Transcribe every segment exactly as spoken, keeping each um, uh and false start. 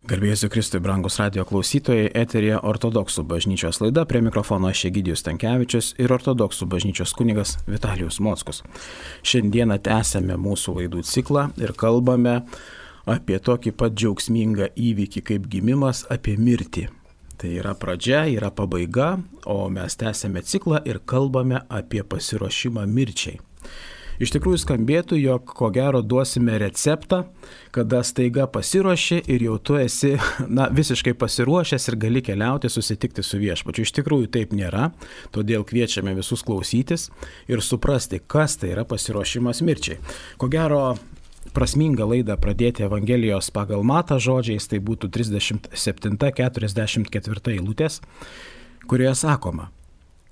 Garbėsiu Kristui, brangus radio klausytojai, eterija Ortodoksų bažnyčios laida, prie mikrofono aš Egidijus Stankevičius ir Ortodoksų bažnyčios kunigas Vitalijus Mockus. Šiandieną tęsėme mūsų laidų ciklą ir kalbame apie tokį pat džiaugsmingą įvykį kaip gimimas, apie mirtį. Tai yra pradžia, yra pabaiga, o mes tęsėme ciklą ir kalbame apie pasiruošimą mirčiai. Iš tikrųjų skambėtų, jog ko gero duosime receptą, kada staiga pasiruoši ir jau tu esi na, visiškai pasiruošęs ir gali keliauti, susitikti su viešpačiu. Iš tikrųjų taip nėra, todėl kviečiame visus klausytis ir suprasti, kas tai yra pasiruošimas mirčiai. Ko gero prasminga laidą pradėti Evangelijos pagal Matą žodžiais, tai būtų trisdešimt septinta keturiasdešimt ketvirta eilutės, kurioje sakoma: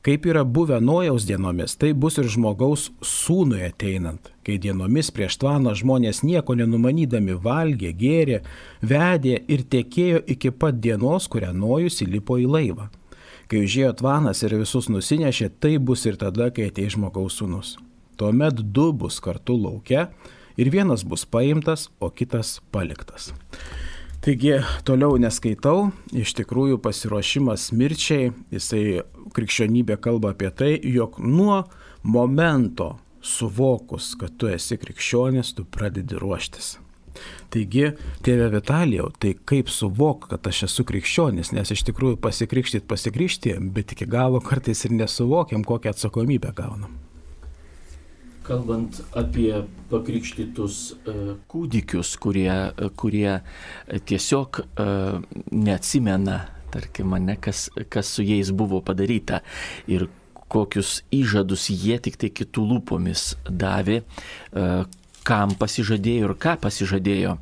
kaip yra buvę Nojaus dienomis, tai bus ir žmogaus sūnui ateinant, kai dienomis prieš tvaną žmonės nieko nenumanydami valgė, gėrė, vedė ir tekėjo iki pat dienos, kurią Nojus įlipo į laivą. Kai užėjo tvanas ir visus nusinešė, tai bus ir tada, kai ateis žmogaus sūnus. Tuomet du bus kartu lauke ir vienas bus paimtas, o kitas paliktas. Taigi, toliau neskaitau, iš tikrųjų pasiruošimas mirčiai, jisai krikščionybė kalba apie tai, jog nuo momento suvokus, kad tu esi krikščionis, tu pradedi ruoštis. Taigi, tėve Vitalijau, tai kaip suvok, kad aš esu krikščionis, nes iš tikrųjų pasikrikštyt pasikrikštijam, bet iki galo kartais ir nesuvokiam, kokią atsakomybę gaunam. Kalbant apie pakrikštytus uh, kūdikius, kurie, uh, kurie tiesiog uh, neatsimena, tarkim, ne, kas, kas su jais buvo padaryta ir kokius įžadus jie tik tai kitų lūpomis davė, uh, kam pasižadėjo ir ką pasižadėjo.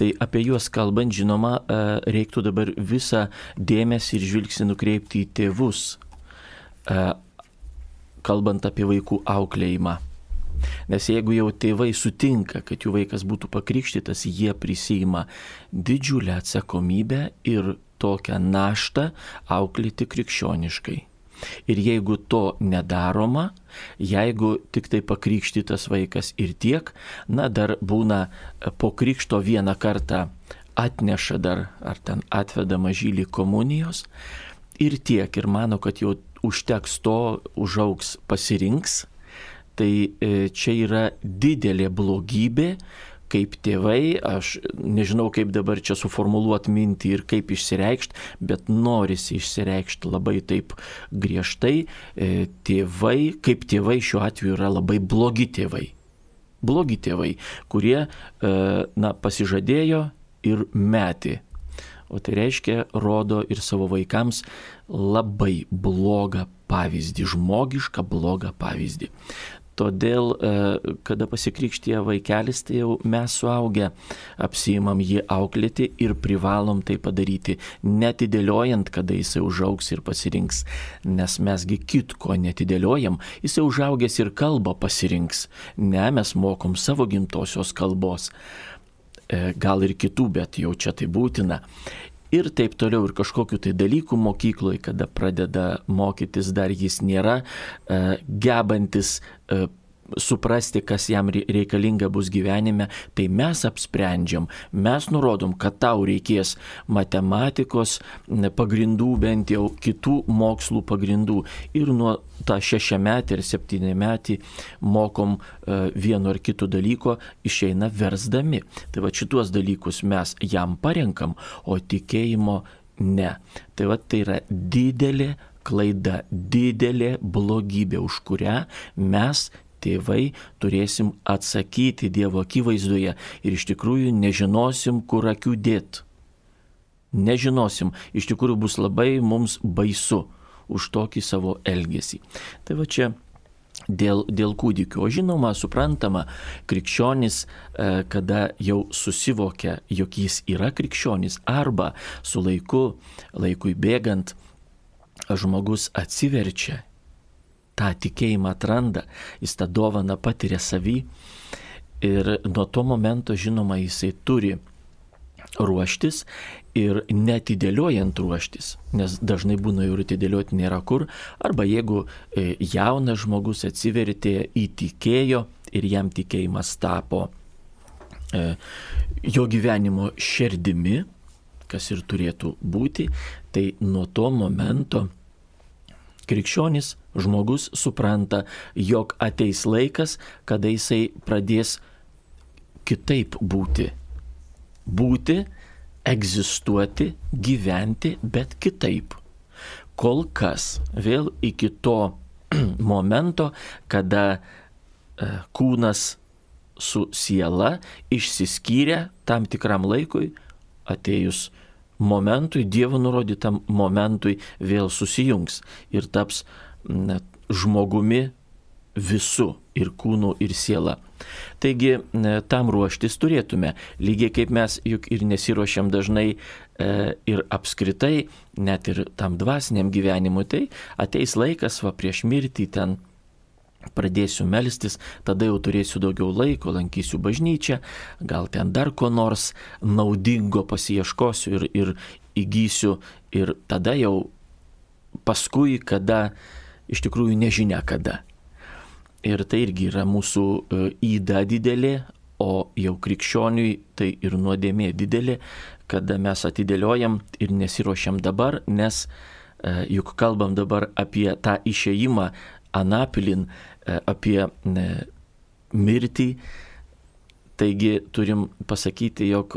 Tai apie juos kalbant, žinoma, uh, reiktų dabar visą dėmesį ir žvilgsnį nukreipti į tėvus. Uh, kalbant apie vaikų auklėjimą. Nes jeigu jau tėvai sutinka, kad jų vaikas būtų pakrikštytas, jie prisiima didžiulę atsakomybę ir tokią naštą auklėti krikščioniškai. Ir jeigu to nedaroma, jeigu tik tai pakrikštytas vaikas ir tiek, na dar būna po krikšto vieną kartą atneša dar, ar ten atveda mažylį komunijos, ir tiek, ir mano, kad jau užteks to, užaugs, pasirinks, tai čia yra didelė blogybė, kaip tėvai, aš nežinau, kaip dabar čia suformuluoti mintį ir kaip išsireikšti, bet norisi išsireikšti labai taip griežtai, tėvai, kaip tėvai šiuo atveju yra labai blogi tėvai. Blogi tėvai, kurie, na, pasižadėjo ir metė. O tai reiškia, rodo ir savo vaikams labai blogą pavyzdį, žmogišką blogą pavyzdį. Todėl, kada pasikrikštija vaikelis, tai jau mes suaugę apsiimam jį auklėti ir privalom tai padaryti, netidėliojant, kada jisai užaugs ir pasirinks. Nes mesgi kitko netidėliojam, jisai užaugęs ir kalbą pasirinks. Ne, mes mokom savo gimtosios kalbos. Gal ir kitų, bet jau čia tai būtina. Ir taip toliau, ir kažkokiu tai dalykų mokykloje, kada pradeda mokytis, dar jis nėra e, gebantis e, suprasti, kas jam reikalinga bus gyvenime, tai mes apsprendžiam, mes nurodom, kad tau reikės matematikos pagrindų, bent jau kitų mokslų pagrindų. Ir nuo tą šešiametį ir septyniametį mokom uh, vieno ar kito dalyko, išeina versdami. Tai va šituos dalykus mes jam parenkam, o tikėjimo ne. Tai va tai yra didelė klaida, didelė blogybė, už kurią mes tėvai turėsim atsakyti Dievo akivaizdoje ir iš tikrųjų nežinosim, kur akių dėt. Nežinosim, iš tikrųjų bus labai mums baisu už tokį savo elgesį. Tai va čia dėl, dėl kūdikių. O žinoma, suprantama, krikščionis, kada jau susivokia, jog jis yra krikščionis, arba su laiku, laikui bėgant, žmogus atsiverčia, tą tikėjimą atranda, jis tą dovaną patiria savy ir nuo to momento, žinoma, jisai turi ruoštis ir netidėliojant ruoštis, nes dažnai būna ir atidėlioti nėra kur, arba jeigu jaunas žmogus atsivertė, įtikėjo ir jam tikėjimas tapo jo gyvenimo širdimi, kas ir turėtų būti, tai nuo to momento krikščionis žmogus supranta, jog ateis laikas, kada jisai pradės kitaip būti. Būti, egzistuoti, gyventi, bet kitaip. Kol kas vėl iki to momento, kada kūnas su siela išsiskyrė tam tikram laikui, atėjus momentui, Dievo nurodytam momentui vėl susijungs ir taps net, žmogumi visu ir kūnu ir siela. Taigi tam ruoštis turėtume, lygiai kaip mes juk ir nesiruošiam dažnai e, ir apskritai, net ir tam dvasiniam gyvenimui, tai ateis laikas, va prieš mirtį ten pradėsiu melstis, tada jau turėsiu daugiau laiko, lankysiu bažnyčią, gal ten dar ko nors naudingo pasiieškosiu ir, ir įgysiu ir tada jau paskui, kada, iš tikrųjų nežinia kada. Ir tai irgi yra mūsų yda didelė, o jau krikščioniui tai ir nuodėmė didelė, kada mes atidėliojam ir nesiruošiam dabar, nes juk kalbam dabar apie tą išėjimą anapilin, apie mirtį, taigi turim pasakyti, jog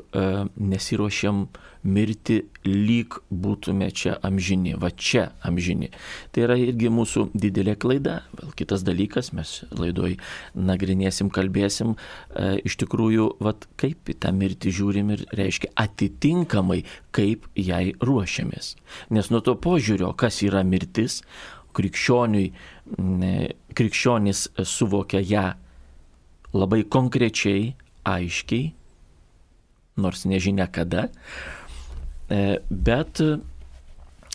nesiruošiam mirti lyg būtume čia amžini, va čia amžini. Tai yra irgi mūsų didelė klaida. Vėl kitas dalykas, mes laidoj nagrinėsim, kalbėsim, iš tikrųjų, va kaip į tą mirtį žiūrim ir reiškia atitinkamai, kaip jai ruošiamės. Nes nuo to požiūrio, kas yra mirtis, krikščioniui, krikščionis suvokia ją labai konkrečiai, aiškiai, nors nežinia kada, bet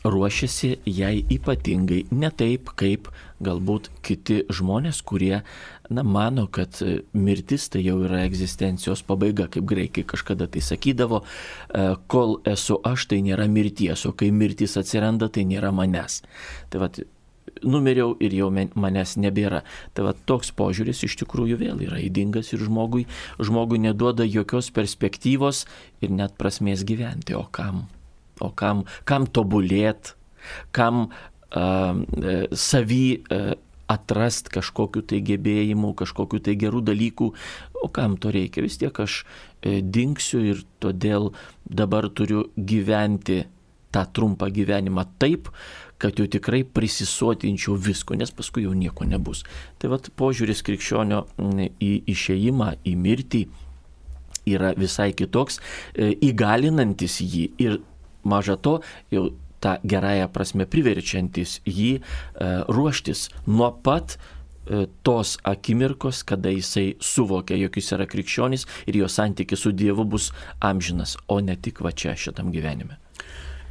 ruošiasi jai ypatingai, ne taip, kaip galbūt kiti žmonės, kurie na, mano, kad mirtis tai jau yra egzistencijos pabaiga, kaip graikai kažkada tai sakydavo, kol esu aš, tai nėra mirties, o kai mirtis atsiranda, tai nėra manęs. Tai vat, numiriau ir jau manęs nebėra. Tai va, toks požiūris iš tikrųjų vėl yra ydingas ir žmogui, žmogui neduoda jokios perspektyvos ir net prasmės gyventi. O kam? O kam, kam tobulėt? Kam uh, savy uh, atrast kažkokiu tai gebėjimu, kažkokiu tai gerų dalykų? O kam to reikia? Vis tiek aš uh, dingsiu ir todėl dabar turiu gyventi tą trumpą gyvenimą taip, kad jau tikrai prisisotinčiau visko, nes paskui jau nieko nebus. Tai vat požiūris krikščionio į išėjimą, į mirtį yra visai kitoks, įgalinantis jį ir maža to jau tą gerąją prasme priverčiantis jį ruoštis nuo pat tos akimirkos, kada jisai suvokia, jog jis yra krikščionis ir jo santykis su Dievu bus amžinas, o ne tik va čia šitam gyvenime.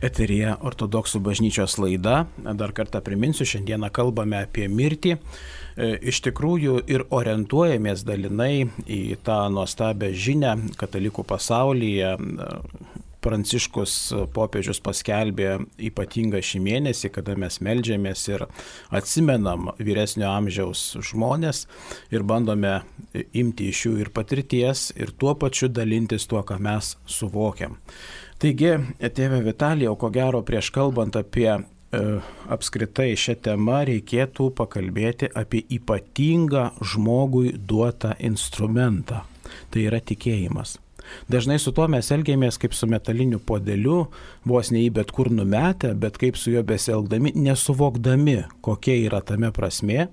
Eteryje Ortodoksų bažnyčios laida. Dar kartą priminsiu, šiandieną kalbame apie mirtį. Iš tikrųjų ir orientuojamės dalinai į tą nuostabią žinią katalikų pasaulyje. Pranciškus popiežius paskelbė ypatingą šį mėnesį, kada mes meldžiamės ir atsimenam vyresnio amžiaus žmonės ir bandome imti iš jų ir patirties ir tuo pačiu dalintis tuo, ką mes suvokiam. Taigi, tėve Vitalijau, ko gero prieš kalbant apie e, apskritai šią temą reikėtų pakalbėti apie ypatingą žmogui duotą instrumentą. Tai yra tikėjimas. Dažnai su tuo mes elgiamės kaip su metaliniu puodeliu, vos ne į bet kur numetę, bet kaip su juo besielgdami, nesuvokdami, kokia yra tame prasmė,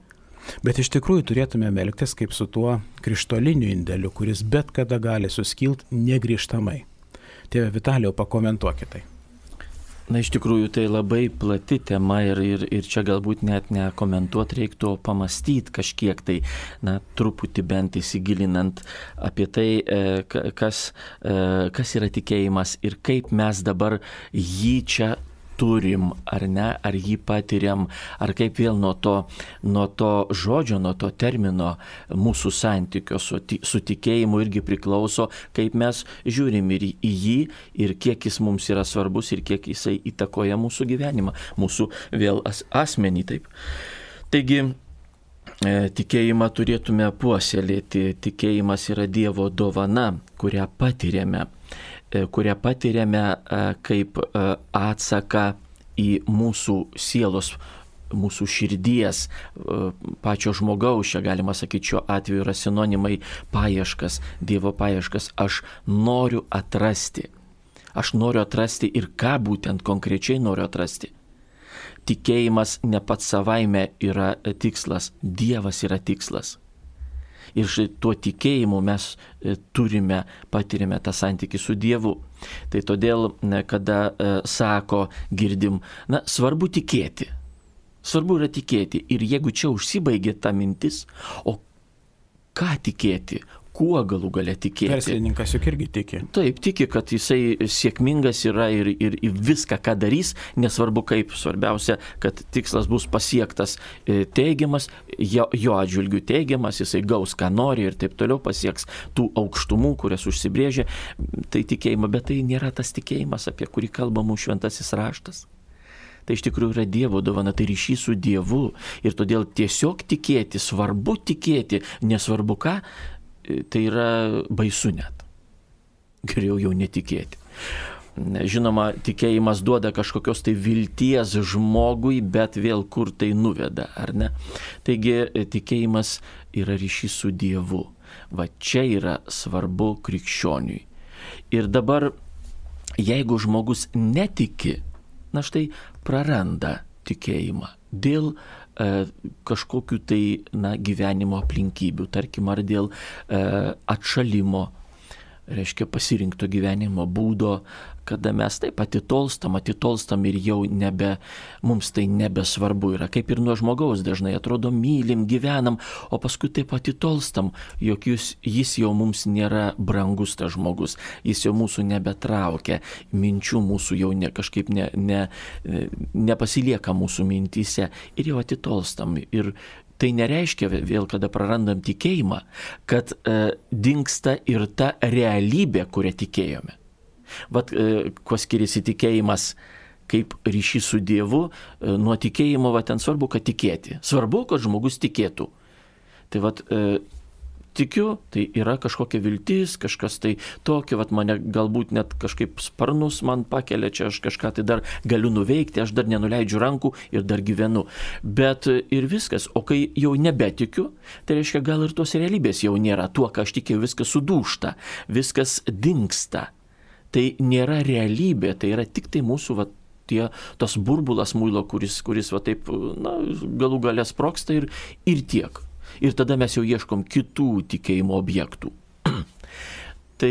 bet iš tikrųjų turėtume elgtis kaip su tuo krištoliniu indeliu, kuris bet kada gali suskilti negrįžtamai. Tėve Vitalijau, pakomentuokite tai. Na, iš tikrųjų, tai labai plati tema ir, ir, ir čia galbūt net nekomentuoti reiktų, o pamastyti kažkiek tai, na, truputį bent įsigilinant apie tai, kas, kas yra tikėjimas ir kaip mes dabar jį čia turim, ar ne, ar jį patiriam, ar kaip vėl nuo to, nuo to žodžio, nuo to termino mūsų santykio su, su tikėjimu irgi priklauso, kaip mes žiūrim ir į jį, ir kiek jis mums yra svarbus, ir kiek jisai įtakoja mūsų gyvenimą, mūsų vėl as, asmenį. Taip. Taigi, tikėjimą turėtume puoselėti. Tikėjimas yra Dievo dovana, kurią patiriame, kurią patiriame kaip atsaką į mūsų sielos, mūsų širdies, pačio žmogaus, čia galima sakyti, šiuo atveju yra sinonimai paieškas, Dievo paieškas. Aš noriu atrasti. Aš noriu atrasti ir ką būtent konkrečiai noriu atrasti. Tikėjimas ne pats savaime yra tikslas, Dievas yra tikslas. Ir tuo tikėjimu mes turime, patiriame tą santykį su Dievu. Tai todėl, kada sako, girdim, na, svarbu tikėti. Svarbu yra tikėti. Ir jeigu čia užsibaigė ta mintis, o ką tikėti? Kuo galų gale tikėti? Verslininkas juk irgi tiki. Taip, tiki, kad jisai sėkmingas yra ir, ir, ir viską, ką darys, nesvarbu kaip, svarbiausia, kad tikslas bus pasiektas teigiamas, jo, jo atžvilgių teigiamas, jisai gaus, ką nori ir taip toliau pasieks tų aukštumų, kurias užsibrėžė, tai tikėjimą, bet tai nėra tas tikėjimas, apie kurį kalba mūsų šventasis raštas. Tai iš tikrųjų yra Dievo dovana, tai ryšys su Dievu ir todėl tiesiog tikėti, svarbu tikėti, nesvarbu ką, tai yra baisu net. Geriau jau netikėti. Žinoma, tikėjimas duoda kažkokios tai vilties žmogui, bet vėl kur tai nuveda, ar ne? Taigi tikėjimas yra ryšys su Dievu. Va čia yra svarbu krikščioniui. Ir dabar, jeigu žmogus netiki, na štai praranda tikėjimą dėl e, kažkokių tai na, gyvenimo aplinkybių, tarkim, ar dėl e, atšalimo, reiškia pasirinkto gyvenimo būdo, kada mes taip atitolstam, atitolstam ir jau nebe, mums tai nebesvarbu yra, kaip ir nuo žmogaus dažnai atrodo mylim, gyvenam, o paskui taip atitolstam, jog jis, jis jau mums nėra brangus tas žmogus, jis jau mūsų nebetraukia, minčių mūsų jau ne, kažkaip ne, ne, nepasilieka mūsų mintyse ir jau atitolstam. Ir tai nereiškia vėl, kada prarandam tikėjimą, kad e, dingsta ir ta realybė, kurią tikėjome. Vat e, kuo skiriasi tikėjimas kaip ryšys su Dievu, e, nuo tikėjimo, va ten svarbu, kad tikėti. Svarbu, kad žmogus tikėtų. Tai vat e, tikiu, tai yra kažkokia viltis, kažkas tai tokio, vat mane galbūt net kažkaip sparnus man pakelia, čia aš kažką tai dar galiu nuveikti, aš dar nenuleidžiu rankų ir dar gyvenu. Bet ir viskas, o kai jau nebetikiu, tai reiškia gal ir tos realybės jau nėra, tuo, ką aš tikėjau, viskas sudūžta, viskas dingsta. Tai nėra realybė, tai yra tik tai mūsų vat, tie, tas burbulas muilo, kuris, kuris va taip, na, galų gale sprogsta ir, ir tiek. Ir tada mes jau ieškom kitų tikėjimo objektų. Tai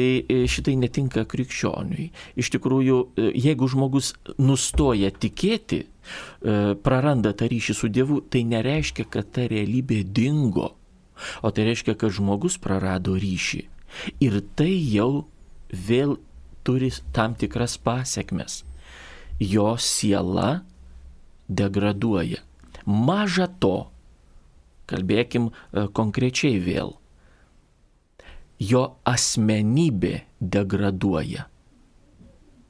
šitai netinka krikščioniui. Iš tikrųjų, jeigu žmogus nustoja tikėti, praranda tą ryšį su Dievu, tai nereiškia, kad ta realybė dingo, o tai reiškia, kad žmogus prarado ryšį. Ir tai jau vėl turi tam tikras pasekmes. Jo siela degraduoja. Maža to, kalbėkim konkrečiai vėl, jo asmenybė degraduoja.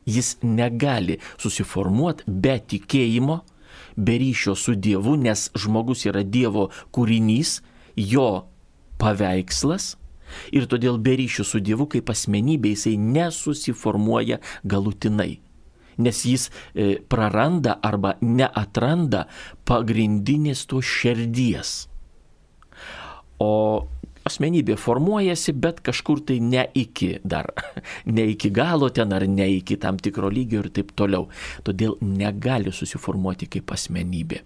Jis negali susiformuoti be tikėjimo, be ryšio su Dievu, nes žmogus yra Dievo kūrinys, jo paveikslas, ir todėl be ryšio su Dievu kaip asmenybė jisai nesusiformuoja galutinai. Nes jis e, praranda arba neatranda pagrindinės to širdies. O asmenybė formuojasi, bet kažkur tai ne iki dar, ne iki galo ten ar ne iki tam tikro lygio ir taip toliau. Todėl negali susiformuoti kaip asmenybė.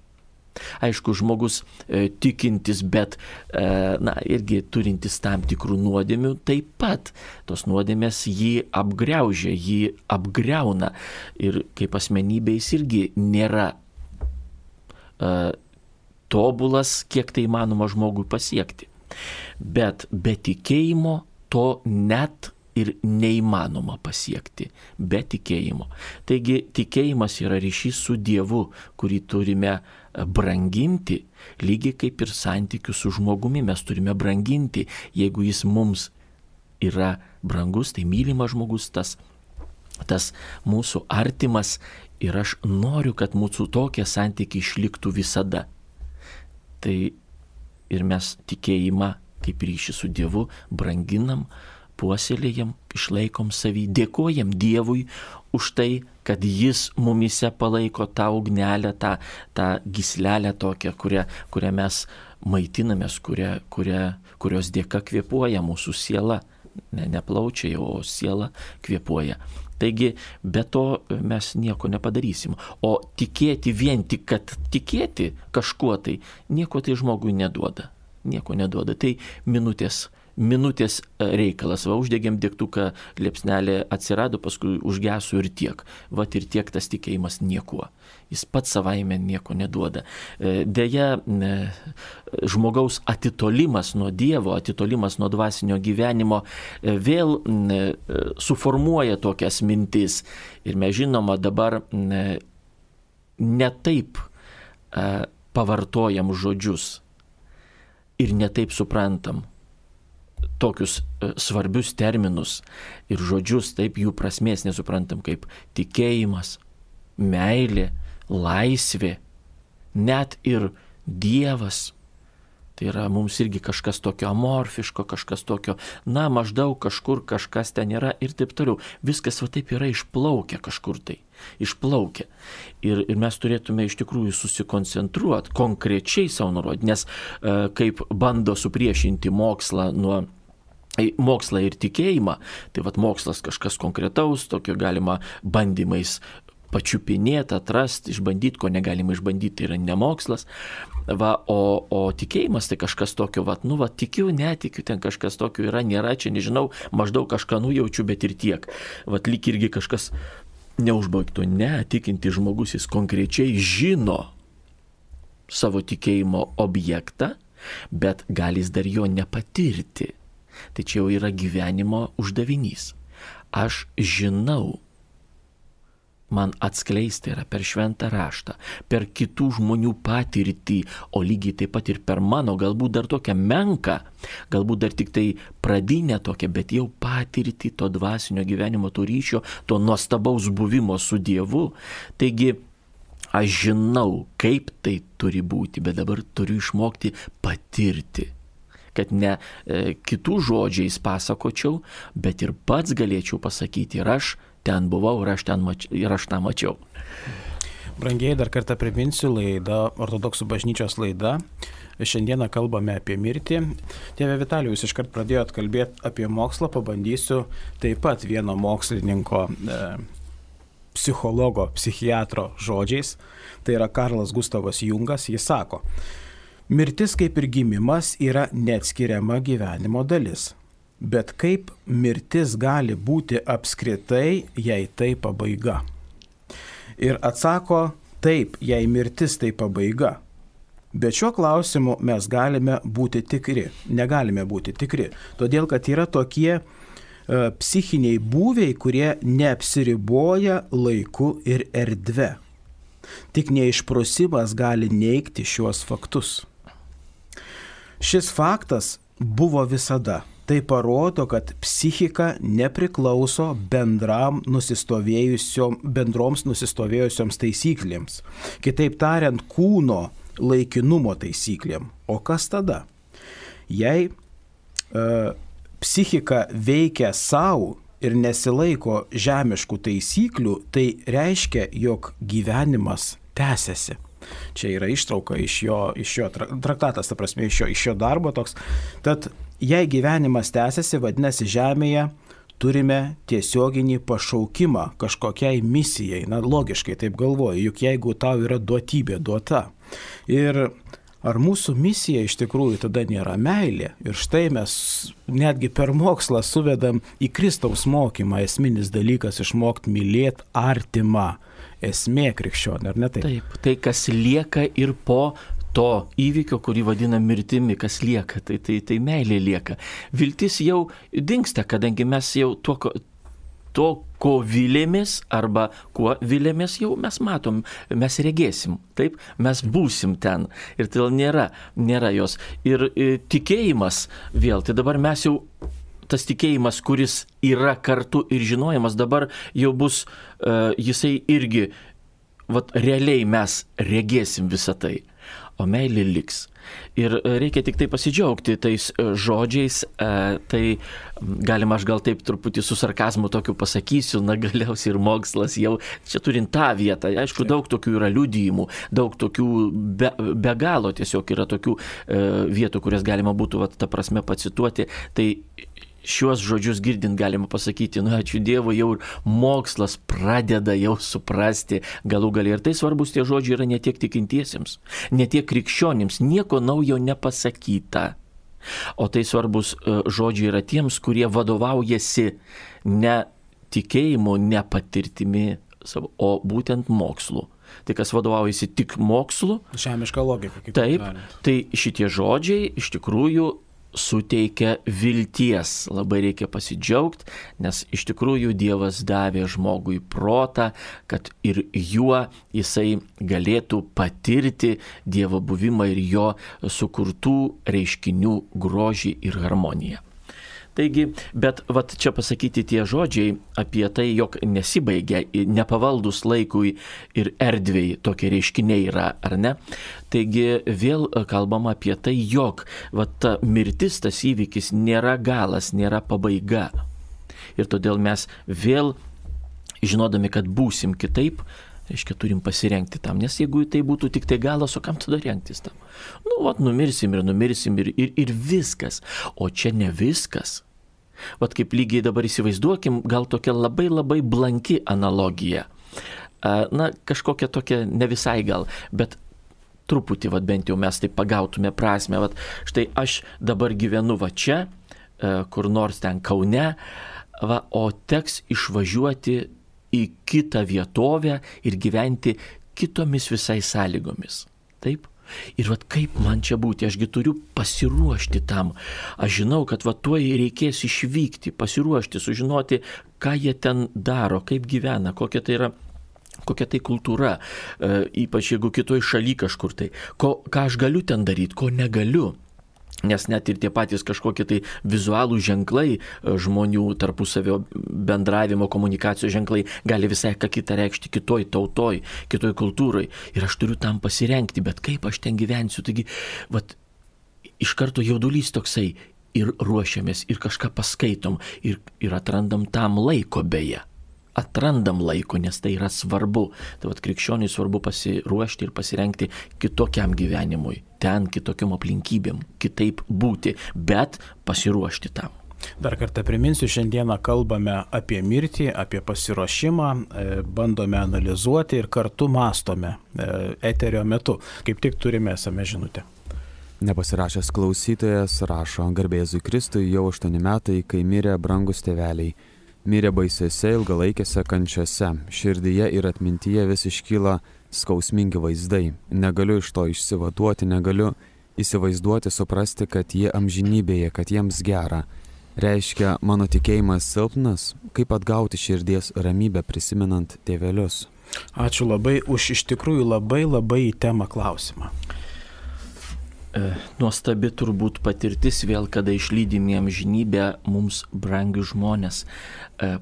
Aišku, žmogus e, tikintis, bet e, na, irgi turintis tam tikrų nuodėmių, taip pat tos nuodėmės jį apgriaužia, jį apgriauna ir kaip asmenybė jis irgi nėra e, tobulas, kiek tai įmanoma žmogui pasiekti. Bet be tikėjimo to net ir neįmanoma pasiekti, be tikėjimo. Taigi tikėjimas yra ryšys su Dievu, kurį turime branginti, lygiai kaip ir santykių su žmogumi mes turime branginti. Jeigu jis mums yra brangus, tai mylimas žmogus, tas, tas mūsų artimas ir aš noriu, kad mūsų tokie santykiai išliktų visada. Tai ir mes tikėjimą kaip ryšį su Dievu branginam, puoselėjam, išlaikom savį, dėkojam Dievui už tai, kad Jis mumise palaiko tą ugnelę, tą, tą gyslelę tokią, kurią, kurią mes maitinamės, kurią, kurią, kurios dėka kvėpuoja mūsų siela. Ne, ne plaučiai, o siela kvėpuoja. Taigi, be to mes nieko nepadarysim. O tikėti vien tik, kad tikėti kažkuo tai, nieko tai žmogui neduoda. Nieko neduoda. Tai minutės, minutės reikalas. Va, uždegėm degtuką, liepsnelė atsirado, paskui užgeso ir tiek. Vat ir tiek tas tikėjimas niekuo. Jis pats savaime nieko neduoda. Deja, žmogaus atitolimas nuo Dievo, atitolimas nuo dvasinio gyvenimo vėl suformuoja tokias mintis. Ir mes žinoma dabar ne taip pavartojam žodžius ir netaip suprantam tokius svarbius terminus ir žodžius, taip jų prasmės nesuprantam kaip tikėjimas, meilė, laisvė, net ir Dievas. Tai yra mums irgi kažkas tokio amorfiško, kažkas tokio, na, maždaug kažkur kažkas ten yra ir taip toliau. Viskas va taip yra išplaukę kažkur tai. Išplaukę. Ir, ir mes turėtume iš tikrųjų susikoncentruoti, konkrečiai savo nurodyti, nes e, kaip bando supriešinti mokslą nuo mokslą ir tikėjimą, tai vat mokslas kažkas konkretaus, tokio galima bandymais pačiupinėti, atrasti, išbandyti, ko negalima išbandyti, tai yra nemokslas. Va, o, o tikėjimas tai kažkas tokio, va, nu, va, tikiu, netikiu, ten kažkas tokio yra, nėra, čia nežinau, maždaug kažką nujaučiu, bet ir tiek. Va, lyg irgi kažkas neužbaigto, ne, tikinti žmogus, jis konkrečiai žino savo tikėjimo objektą, bet gali jis dar jo nepatirti. Tai čia jau yra gyvenimo uždavinys. Aš žinau, man atskleisti yra per šventą raštą, per kitų žmonių patirtį, o lygiai taip pat ir per mano, galbūt dar tokią menką, galbūt dar tik tai pradinę tokią, bet jau patirtį to dvasinio gyvenimo, to ryšio, to nuostabaus buvimo su Dievu. Taigi, aš žinau, kaip tai turi būti, bet dabar turiu išmokti patirti. Kad ne e, kitų žodžiais pasakočiau, bet ir pats galėčiau pasakyti, ir aš ten buvau, ir aš, ten mač... ir aš tą mačiau. Brangiai, dar kartą priminsiu, laida, ortodoksų bažnyčios laida. Šiandieną kalbame apie mirtį. Tėve Vitalijau, jūs iškart pradėjot kalbėti apie mokslą, pabandysiu taip pat vieno mokslininko, e, psichologo, psichiatro žodžiais. Tai yra Karlas Gustavas Jungas, jis sako: mirtis kaip ir gimimas yra neatskiriama gyvenimo dalis. Bet kaip mirtis gali būti apskritai, jei tai pabaiga? Ir atsako, taip, jei mirtis tai pabaiga. Bet šiuo klausimu mes galime būti tikri, negalime būti tikri. Todėl, kad yra tokie e, psichiniai būviai, kurie neapsiriboja laiku ir erdve. Tik neišprusimas gali neigti šiuos faktus. Šis faktas buvo visada. Tai parodo, kad psichika nepriklauso bendram nusistovėjusiom, bendroms nusistovėjusioms taisyklėms. Kitaip tariant, kūno laikinumo taisyklėm. O kas tada? Jei e, psichika veikia savo ir nesilaiko žemiškų taisyklių, tai reiškia, jog gyvenimas tęsiasi. Čia yra ištrauka iš jo, iš jo traktatas, ta prasme, iš jo, iš jo darbo toks. Tad jei gyvenimas tęsiasi, vadinasi, žemėje turime tiesioginį pašaukimą kažkokiai misijai. Na, logiškai taip galvoju, juk jeigu tau yra duotybė duota. Ir ar mūsų misija iš tikrųjų tada nėra meilė? Ir štai mes netgi per mokslą suvedam į Kristaus mokymą esminis dalykas išmokti mylėti artimą. Esmė krikščionė, ar ne taip? Taip, tai kas lieka ir po to įvykio, kurį vadina mirtimi, kas lieka, tai, tai, tai meilė lieka. Viltis jau dingsta, kadangi mes jau to, to ko vilėmės arba kuo vilėmės, jau mes matom, mes regėsim, taip, mes būsim ten. Ir tai nėra, nėra jos. Ir, ir tikėjimas vėl, tai dabar mes jau tas tikėjimas, kuris yra kartu ir žinojimas, dabar jau bus, uh, jisai irgi, vat, realiai mes regėsim visą tai. o meilė liks. Ir reikia tik tai pasidžiaugti tais žodžiais, tai galima aš gal taip truputį su sarkazmu tokiu pasakysiu, na galiausiai ir mokslas jau čia turint tą vietą. Aišku, daug tokių yra liudijimų, daug tokių be, be galo tiesiog yra tokių vietų, kurias galima būtų vat, ta prasme pacituoti. Tai šiuos žodžius girdint galima pasakyti, nu ačiū Dievui, jau ir mokslas pradeda jau suprasti galų galiai. Ir tai svarbus tie žodžiai yra ne tiek tikintiesiems, ne tiek krikščionims, nieko naujo nepasakyta. O tai svarbus žodžiai yra tiems, kurie vadovaujasi ne tikėjimu, ne patirtimi, o būtent mokslu. Tai kas vadovaujasi tik mokslu. Žemiška logika. Taip, tai šitie žodžiai iš tikrųjų suteikia vilties. Labai reikia pasidžiaugti, nes iš tikrųjų Dievas davė žmogui protą, kad ir juo jisai galėtų patirti Dievo buvimą ir jo sukurtų reiškinių grožį ir harmoniją. Taigi, bet vat čia pasakyti tie žodžiai apie tai, jog nesibaigia, nepavaldus laikui ir erdvei tokie reiškiniai yra, ar ne? Taigi vėl kalbama apie tai, jog vat ta mirtis, tas įvykis nėra galas, nėra pabaiga. Ir todėl mes vėl, žinodami, kad būsim kitaip, reiškia, turim pasirengti tam, nes jeigu tai būtų tik tai galas, o kam tada rengtis tam? Nu, vat, numirsim ir numirsim ir, ir, ir viskas. O čia ne viskas. Vat kaip lygiai dabar įsivaizduokim, gal tokia labai labai blanki analogija. Na, kažkokia tokia ne visai gal, bet truputį, vat bent jau mes tai pagautume prasme. Vat štai aš dabar gyvenu va čia, kur nors ten Kaune, va, o teks išvažiuoti į kitą vietovę ir gyventi kitomis visai sąlygomis. Taip? Ir vat kaip man čia būti, ašgi turiu pasiruošti tam. Aš žinau, kad vat tuoj reikės išvykti, pasiruošti, sužinoti, ką jie ten daro, kaip gyvena, kokia tai yra, kokia tai kultūra, e, ypač jeigu kitoj šaly kažkur tai, ko, ką aš galiu ten daryti, ko negaliu. Nes net ir tie patys kažkokie tai vizualų ženklai, žmonių tarpusavio bendravimo, komunikacijos ženklai gali visai ką kitą reikšti kitoj tautoj, kitoj kultūrai. Ir aš turiu tam pasirengti, bet kaip aš ten gyvensiu. Taigi, vat, iš karto jaudulys toksai ir ruošiamės, ir kažką paskaitom, ir, ir atrandam tam laiko beje. Atrandam laiko, nes tai yra svarbu. Tai vat krikščioniui svarbu pasiruošti ir pasirengti kitokiam gyvenimui, ten kitokiam aplinkybėm, kitaip būti, bet pasiruošti tam. Dar kartą priminsiu, šiandieną kalbame apie mirtį, apie pasiruošimą, bandome analizuoti ir kartu mąstome eterio metu. Kaip tik turime esame žinutę. Nepasirašęs klausytojas rašo: Garbėzui Kristui, jau aštuoni metai, kai mirė brangus tėveliai. Mirė baisiose ilgalaikėse kančiose, širdyje ir atmintyje vis iškyla skausmingi vaizdai. Negaliu iš to išsivaduoti, negaliu įsivaizduoti, suprasti, kad jie amžinybėje, kad jiems gera. Reiškia, mano tikėjimas silpnas, kaip atgauti širdies ramybę prisimenant tėvelius. Ačiū labai už iš tikrųjų labai labai į temą klausimą. Nuostabi turbūt patirtis vėl, kada išlydimi amžinybę mums brangius žmonės,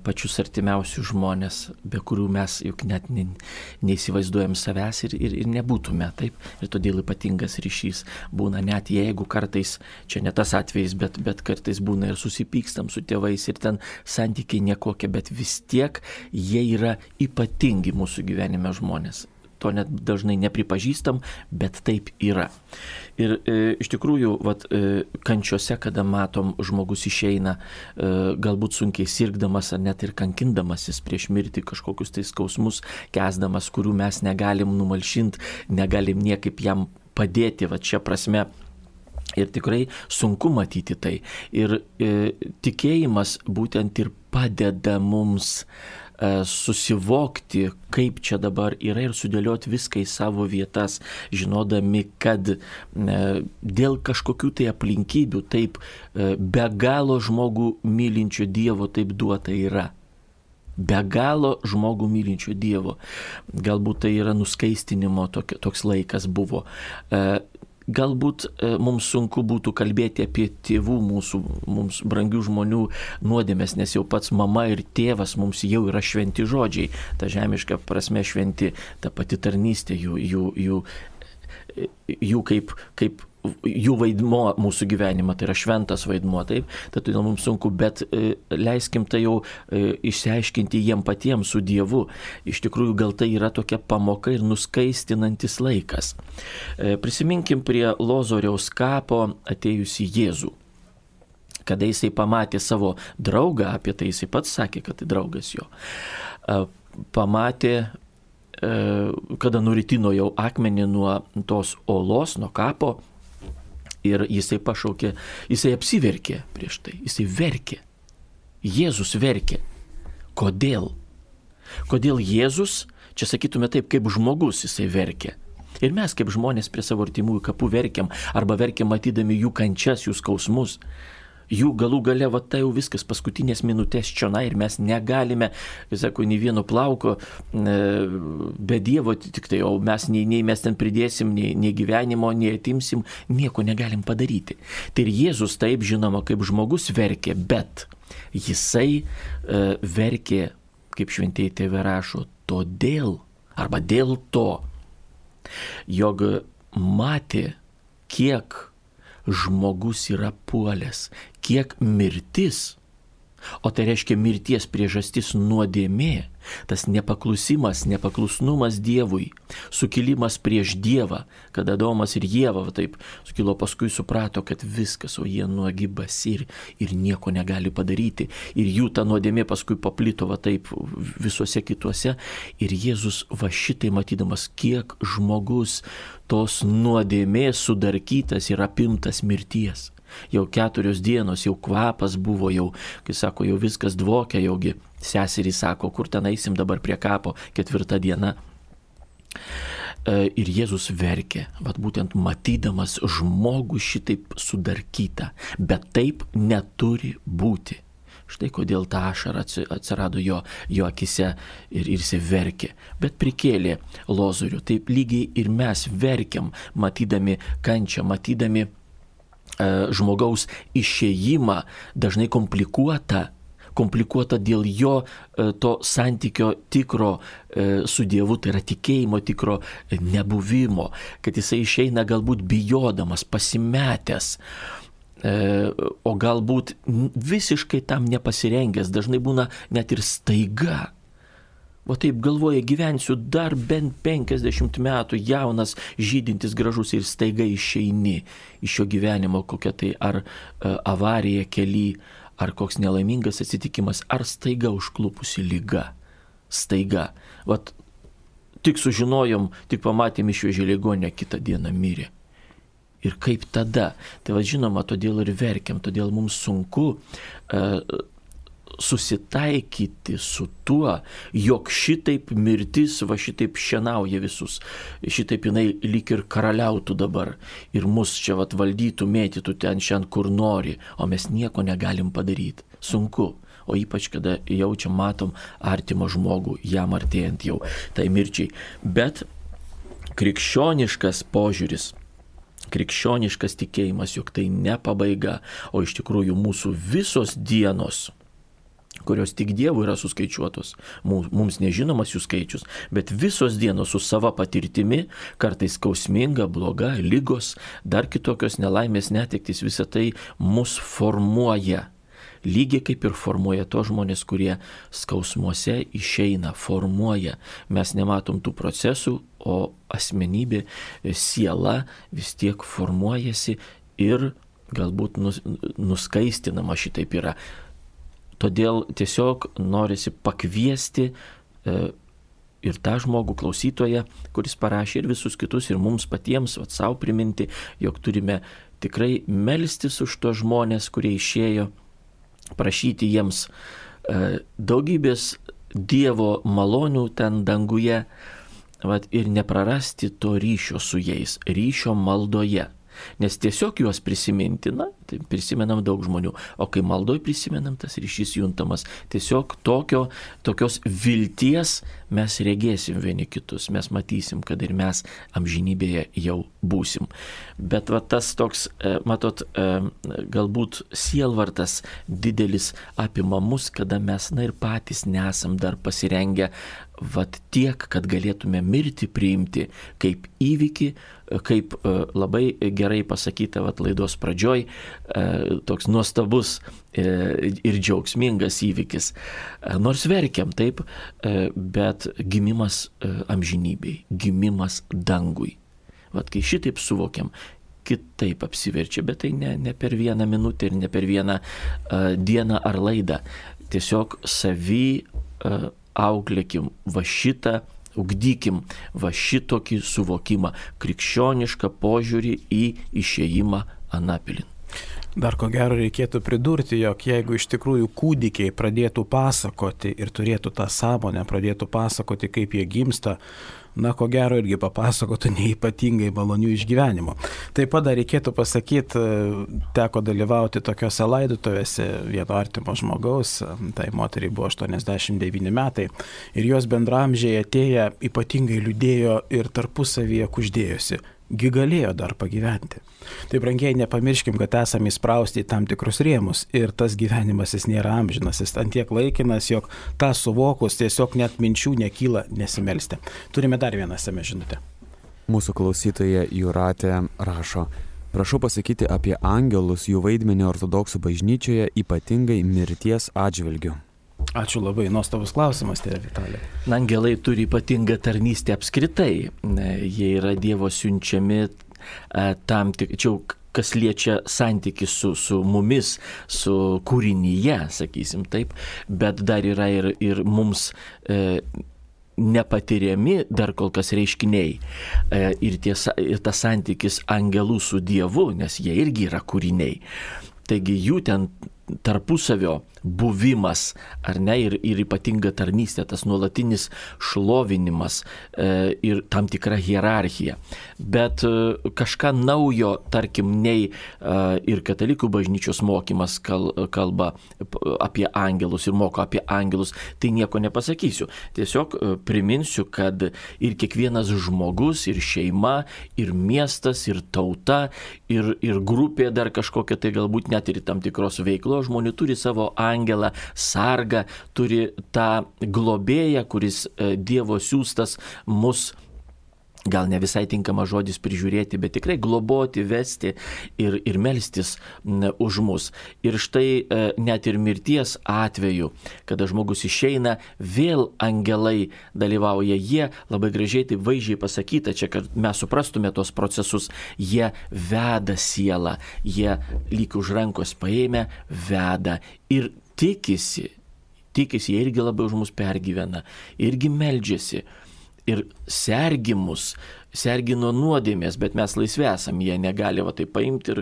pačius artimiausius žmonės, be kurių mes juk net neįsivaizduojam savęs ir, ir, ir nebūtume, taip. Ir todėl ypatingas ryšys būna, net jeigu kartais, čia ne tas atvejis, bet, bet kartais būna ir susipykstam su tėvais ir ten santykiai nekokie, bet vis tiek jie yra ypatingi mūsų gyvenime žmonės. To net dažnai nepripažįstam, bet taip yra. Ir e, iš tikrųjų, vat, e, kančiose, kada matom, žmogus išeina, e, galbūt sunkiai sirgdamas ar net ir kankindamasis prieš mirtį, kažkokius tai skausmus kesdamas, kurių mes negalim numalšinti, negalim niekaip jam padėti, va čia prasme. Ir tikrai sunku matyti tai. Ir e, tikėjimas būtent ir padeda mums susivokti, kaip čia dabar yra ir sudėlioti viską į savo vietas, žinodami, kad dėl kažkokių tai aplinkybių taip be galo žmogų mylinčio Dievo taip duota yra. Be galo žmogų mylinčio Dievo. Galbūt tai yra nuskaistinimo toks laikas buvo. Galbūt mums sunku būtų kalbėti apie tėvų mūsų, mums brangių žmonių nuodėmes, nes jau pats mama ir tėvas mums jau yra šventi žodžiai. Ta žemiška prasme šventi, ta pati tarnystė, jų, jų, jų jų kaip, kaip jų vaidmuo mūsų gyvenimą, tai yra šventas vaidmuo, taip, tai todėl mums sunku, bet e, leiskim tai jau e, išsiaiškinti jiem patiems su Dievu. Iš tikrųjų, gal tai yra tokia pamoka ir nuskaistinantis laikas. E, prisiminkim prie Lozoriaus kapo atėjusi Jėzų. Kada jisai pamatė savo draugą, apie tai jisai pats sakė, kad tai draugas jo, e, pamatė, e, kada nuritino jau akmenį nuo tos olos, nuo kapo, ir jisai pašaukė, jisai apsiverkė prieš tai, jisai verkė. Jėzus verkė. Kodėl? Kodėl Jėzus, čia sakytume taip, kaip žmogus jisai verkė. Ir mes kaip žmonės prie savo artimųjų kapų verkiam, arba verkiam matydami jų kančias, jų skausmus. Jų galų gale, va tai jau viskas, paskutinės minutės čionai ir mes negalime, sako, nei vieno plauko e, be Dievo, tik tai, o mes nei, nei mes ten pridėsim, nei, nei gyvenimo, nei atimsim, nieko negalim padaryti. Tai ir Jėzus taip, žinoma, kaip žmogus verkė, bet jisai e, verkė, kaip šventieji tėvai rašo, todėl, arba dėl to, jog matė, kiek žmogus yra puolęs, kiek mirtis, o tai reiškia mirties priežastis nuodėmė, tas nepaklusimas, nepaklusnumas Dievui, sukilimas prieš Dievą, kada Adomas ir Ieva va, taip sukilo, paskui suprato, kad viskas, o jie nuogi basi ir, ir nieko negali padaryti. Ir jų ta nuodėmė paskui paplito va taip visuose kituose. Ir Jėzus va šitai matydamas, kiek žmogus tos nuodėmės sudarkytas ir apimtas mirties. Jau keturios dienos, jau kvapas buvo, jau, kai sako, jau viskas dvokia, jaugi seserys sako, kur ten eisim dabar prie kapo, ketvirta diena. Ir Jėzus verkė, vat būtent matydamas žmogų šitaip sudarkytą, bet taip neturi būti. Štai kodėl ta ašara atsirado jo, jo akise ir, ir jis verkė. Bet prikėlė Lozorių, taip lygiai ir mes verkiam, matydami kančią, matydami žmogaus išėjimą, dažnai komplikuota, komplikuota dėl jo to santykio tikro su Dievu, tai yra tikėjimo tikro nebuvimo, kad jisai išeina galbūt bijodamas, pasimetęs, o galbūt visiškai tam nepasirengęs, dažnai būna net ir staiga. O taip galvoja, gyvensiu dar bent penkiasdešimt metų, jaunas, žydintis, gražus ir staiga išeini iš šio gyvenimo, kokia tai ar avarija kely, ar koks nelaimingas atsitikimas, ar staiga užklupusi liga. Staiga. Vat tik sužinojom, tik pamatėm išvežė ligonę, kitą dieną mirė. Ir kaip tada? Tai va žinoma, todėl ir verkiam, todėl mums sunku uh, susitaikyti su tuo, jog šitaip mirtis, va šitaip šienauja visus, šitaip jinai lyg ir karaliautų dabar ir mus čia vat valdytų, mėtytų ten šiandien kur nori, o mes nieko negalim padaryti. Sunku, o ypač kada jaučiam, matom artimą žmogų, jam artėjant jau tai mirčiai. Bet krikščioniškas požiūris, krikščioniškas tikėjimas, jog tai ne pabaiga, o iš tikrųjų mūsų visos dienos, kurios tik Dievui yra suskaičiuotos, mums nežinomas jų skaičius, bet visos dienos su sava patirtimi, kartais skausminga, bloga, lygos, dar kitokios nelaimės, netektys, visa tai mus formuoja. Lygiai kaip ir formuoja to žmonės, kurie skausmuose išeina, formuoja. Mes nematom tų procesų, o asmenybė, siela vis tiek formuojasi ir galbūt nus, nuskaistinama šitaip yra. Todėl tiesiog norisi pakviesti e, ir tą žmogų klausytoją, kuris parašė, ir visus kitus, ir mums patiems, vat, savo priminti, jog turime tikrai melstis už tos žmonės, kurie išėjo, prašyti jiems e, daugybės Dievo malonių ten danguje, vat, ir neprarasti to ryšio su jais, ryšio maldoje. Nes tiesiog juos prisiminti, na, tai prisimenam daug žmonių, o kai maldoj prisimenam, tas ryšys juntamas. Tiesiog tokio, tokios vilties mes regėsim vieni kitus, mes matysim, kad ir mes amžinybėje jau būsim. Bet va tas toks, matot, galbūt sielvartas didelis apima mus, kada mes, na ir patys nesam dar pasirengę vat tiek, kad galėtume mirti priimti kaip įvykį, kaip labai gerai pasakyta vat laidos pradžioj, toks nuostabus ir džiaugsmingas įvykis. Nors verkiam, taip, bet gimimas amžinybei, gimimas dangui. Vat kai šitaip suvokiam, kitaip apsiverčia, bet tai ne, ne per vieną minutę ir ne per vieną uh, dieną ar laidą. Tiesiog savy uh, auklėkim va šitą, ugdykim va šitokį suvokimą, krikščionišką požiūrį į išėjimą anapilin. Dar ko gero reikėtų pridurti, jog jeigu iš tikrųjų kūdikiai pradėtų pasakoti ir turėtų tą sąmonę, pradėtų pasakoti, kaip jie gimsta, na, ko gero irgi papasakotų neypatingai malonių išgyvenimų. Taip pat dar reikėtų pasakyti, teko dalyvauti tokiose laidotuvėse vieno artimo žmogaus, tai moteriai buvo aštuoniasdešimt devyni metai, ir jos bendramžiai atėję ypatingai liūdėjo ir tarpusavyje kuždėjosi. Gi galėjo dar pagyventi. Tai brangiai nepamirškim, kad esame įsprausti į tam tikrus rėmus ir tas gyvenimas jis nėra amžinas, jis antiek laikinas, jog tą suvokus tiesiog net minčių nekyla nesimelsti. Turime dar vieną esame žinutę. Mūsų klausytoja Jūratė rašo: prašau pasakyti apie angelus, jų vaidmenį ortodoksų bažnyčioje, ypatingai mirties atžvilgiu. Ačiū labai, nuostabus klausimas, tėve Vitalija. Angelai turi ypatingą tarnystę apskritai. Jie yra Dievo siunčiami tam tik, čia kas liečia santyki su, su mumis, su kūrinyje, sakysim taip, bet dar yra ir, ir mums e, nepatiriami dar kol kas reiškiniai. E, ir, tiesa, ir tas santykis angelų su Dievu, nes jie irgi yra kūriniai. Taigi jų ten tarpusavio buvimas, ar ne, ir, ir ypatinga tarnystė, tas nuolatinis šlovinimas e, ir tam tikra hierarchija. Bet e, kažką naujo, tarkim, nei e, ir katalikų bažnyčios mokymas kal, kalba apie angelus ir moko apie angelus, tai nieko nepasakysiu. Tiesiog e, priminsiu, kad ir kiekvienas žmogus, ir šeima, ir miestas, ir tauta, ir, ir grupė dar kažkokia, tai galbūt net ir tam tikros veiklos žmonių turi savo angelą, sargą, turi tą globėją, kuris Dievo siųstas mus, gal ne visai tinkama žodis prižiūrėti, bet tikrai globoti, vesti ir, ir melstis už mus. Ir štai net ir mirties atveju, kada žmogus išeina, vėl angelai dalyvauja. Jie, labai gražiai tai vaizdžiai pasakyta, čia, kad mes suprastume tos procesus, jie veda sielą, jie lyg už rankos paėmę, veda ir tikisi, tikisi, jie irgi labai už mus pergyvena, irgi meldžiasi. Ir sergi mus, sergi nuo nuodėmės, bet mes laisvi esam, jie negali va tai paimti ir...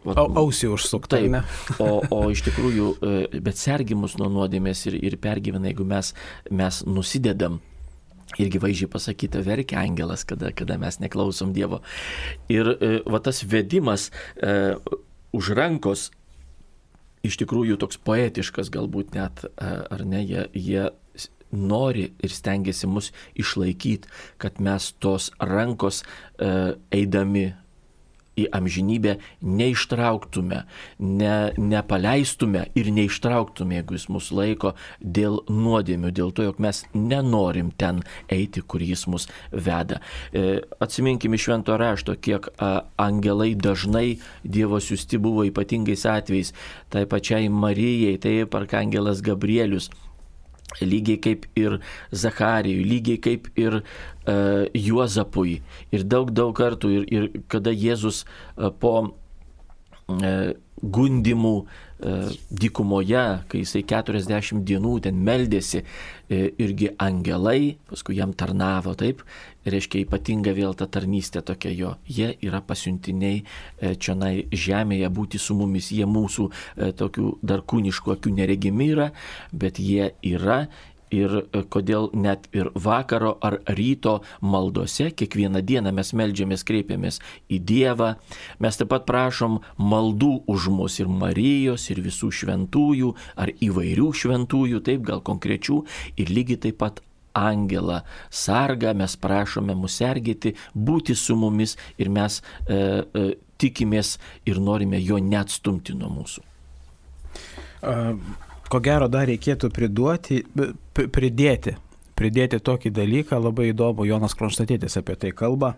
Va, ausį užsukti, ne? o, o iš tikrųjų, bet sergi mus nuo nuodėmės ir, ir pergyvena, jeigu mes, mes nusidedam. Irgi vaizdžiai pasakyta, verkia angelas, kada, kada mes neklausom Dievo. Ir va tas vedimas e, už rankos, iš tikrųjų toks poetiškas galbūt net, ar ne, jie... jie nori ir stengiasi mus išlaikyti, kad mes tos rankos e, eidami į amžinybę neištrauktume, ne, nepaleistume ir neištrauktume, jeigu jis mus laiko dėl nuodėmių, dėl to, jog mes nenorim ten eiti, kur jis mus veda. E, atsiminkime iš švento rašto, kiek a, angelai dažnai Dievo siųsti buvo ypatingais atvejais, tai pačiai Marijai, taip arkangelas Gabrielius, lygiai kaip ir Zacharijui, lygiai kaip ir uh, Juozapui. Ir daug, daug kartų, ir, ir kada Jėzus uh, po uh, gundimų uh, dykumoje, kai jisai keturiasdešimt dienų ten meldėsi, uh, irgi angelai, paskui jam tarnavo, taip, reiškia ypatinga vėl ta tarnystė tokia jo. Jie yra pasiuntiniai uh, čionai žemėje būti su mumis, jie mūsų uh, tokių dar kūniškų akių neregimi yra, bet jie yra ir kodėl net ir vakaro ar ryto maldose kiekvieną dieną mes meldžiamės, kreipiamės į Dievą. Mes taip pat prašom maldų už mus ir Marijos, ir visų šventųjų, ar įvairių šventųjų, taip gal konkrečių, ir lygiai taip pat angelą sargą mes prašome mus sergėti, būti su mumis ir mes e, e, tikimės ir norime jo neatstumti nuo mūsų. Ko gero dar reikėtų priduoti, pridėti, pridėti tokį dalyką, labai įdomu, Jonas Kronštatėtis apie tai kalba.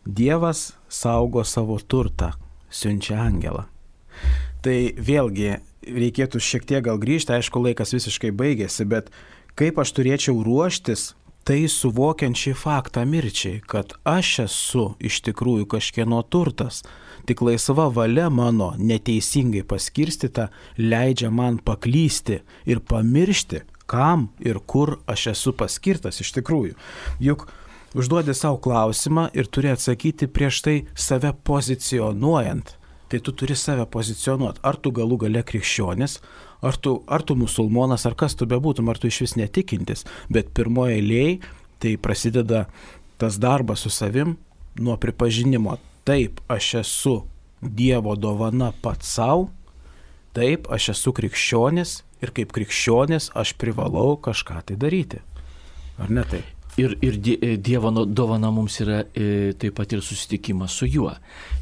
Dievas saugo savo turtą, siunčia angelą. Tai vėlgi reikėtų šiek tiek gal grįžti, aišku, laikas visiškai baigėsi, bet kaip aš turėčiau ruoštis, tai suvokiant šį faktą mirčiai, kad aš esu iš tikrųjų kažkieno turtas, tik laisva valia mano neteisingai paskirstyta leidžia man paklysti ir pamiršti, kam ir kur aš esu paskirtas iš tikrųjų. Juk užduodi savo klausimą ir turi atsakyti prieš tai save pozicionuojant. Tai tu turi save pozicionuoti, ar tu galų gale krikščionis, ar tu, ar tu musulmonas, ar kas tu bebūtum, ar tu iš vis netikintis, bet pirmoje eilėje tai prasideda tas darbas su savim nuo pripažinimo. Taip, aš esu Dievo dovana pats savo, taip, aš esu krikščionis ir kaip krikščionis aš privalau kažką tai daryti. Ar ne taip? Ir, ir Dievo dovana mums yra e, taip pat ir susitikimas su juo.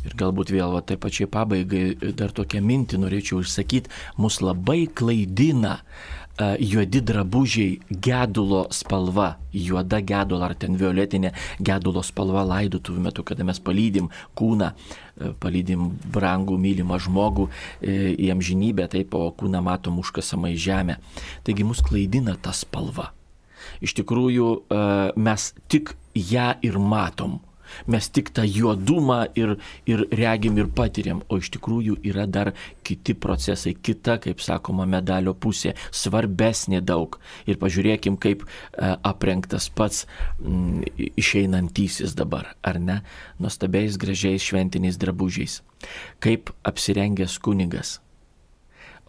Ir galbūt vėl va, taip pačiai pabaigai dar tokią mintį norėčiau išsakyti, mus labai klaidina e, juodi drabužiai gedulo spalva, juoda gedulo ar ten violetinė gedulo spalva laidotuvių metu, kada mes palydim kūną, e, palydim brangų, mylimą žmogų e, į amžinybę, taip, o kūną matom užkasamą į žemę. Taigi mus klaidina ta spalva. Iš tikrųjų, mes tik ją ir matom, mes tik tą juodumą ir, ir regim ir patiriam, o iš tikrųjų yra dar kiti procesai, kita, kaip sakoma, medalio pusė, svarbesnė daug. Ir pažiūrėkim, kaip aprengtas pats m, išeinantysis dabar, ar ne, nuostabiais gražiais šventiniais drabužiais. Kaip apsirengęs kunigas.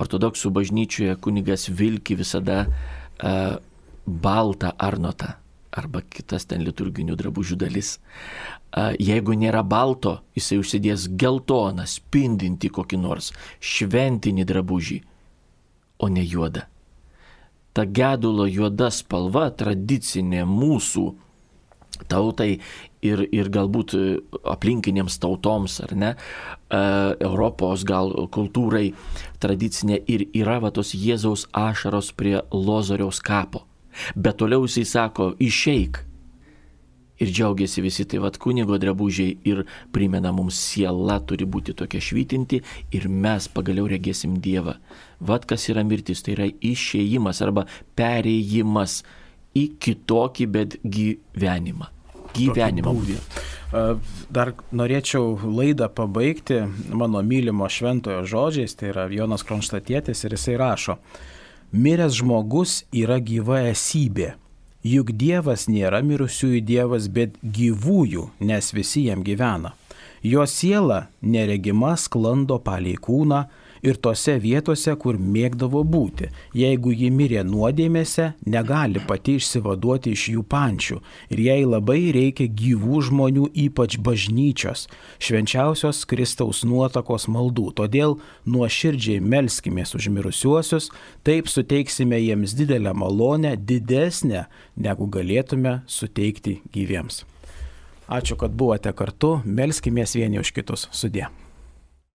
Ortodoksų bažnyčioje kunigas vilki visada uh, baltą arnotą arba kitas ten liturginių drabužių dalis. Jeigu nėra balto, jisai užsidės geltoną, spindinti kokį nors šventinį drabužį, o ne juodą. Ta gedulo juoda spalva tradicinė mūsų tautai ir, ir galbūt aplinkinėms tautoms, ar ne, Europos gal kultūrai tradicinė ir yra va tos Jėzaus ašaros prie Lozoriaus kapo. Bet toliau jisai sako, išeik. Ir džiaugiasi visi, tai vat kunigo drabužiai ir primena mums, siela turi būti tokia švytinti ir mes pagaliau regėsim Dievą. Vat kas yra mirtis, tai yra išėjimas arba perėjimas į kitokį, bet gyvenimą. Gyvenimą. Dar norėčiau laidą pabaigti mano mylimo šventojo žodžiais, tai yra Jonas Kronštatėtis ir jisai rašo: miręs žmogus yra gyva esybė, juk Dievas nėra mirusiųjų Dievas, bet gyvųjų, nes visi jam gyvena. Jo siela neregima sklando palei kūną ir tose vietose, kur mėgdavo būti. Jeigu ji mirė nuodėmėse, negali pati išsivaduoti iš jų pančių ir jai labai reikia gyvų žmonių, ypač bažnyčios, švenčiausios Kristaus nuotakos maldų. Todėl nuoširdžiai melskimės už mirusiuosius, taip suteiksime jiems didelę malonę, didesnę, negu galėtume suteikti gyviems. Ačiū, kad buvote kartu, melskimės vieni už kitus. Sudie.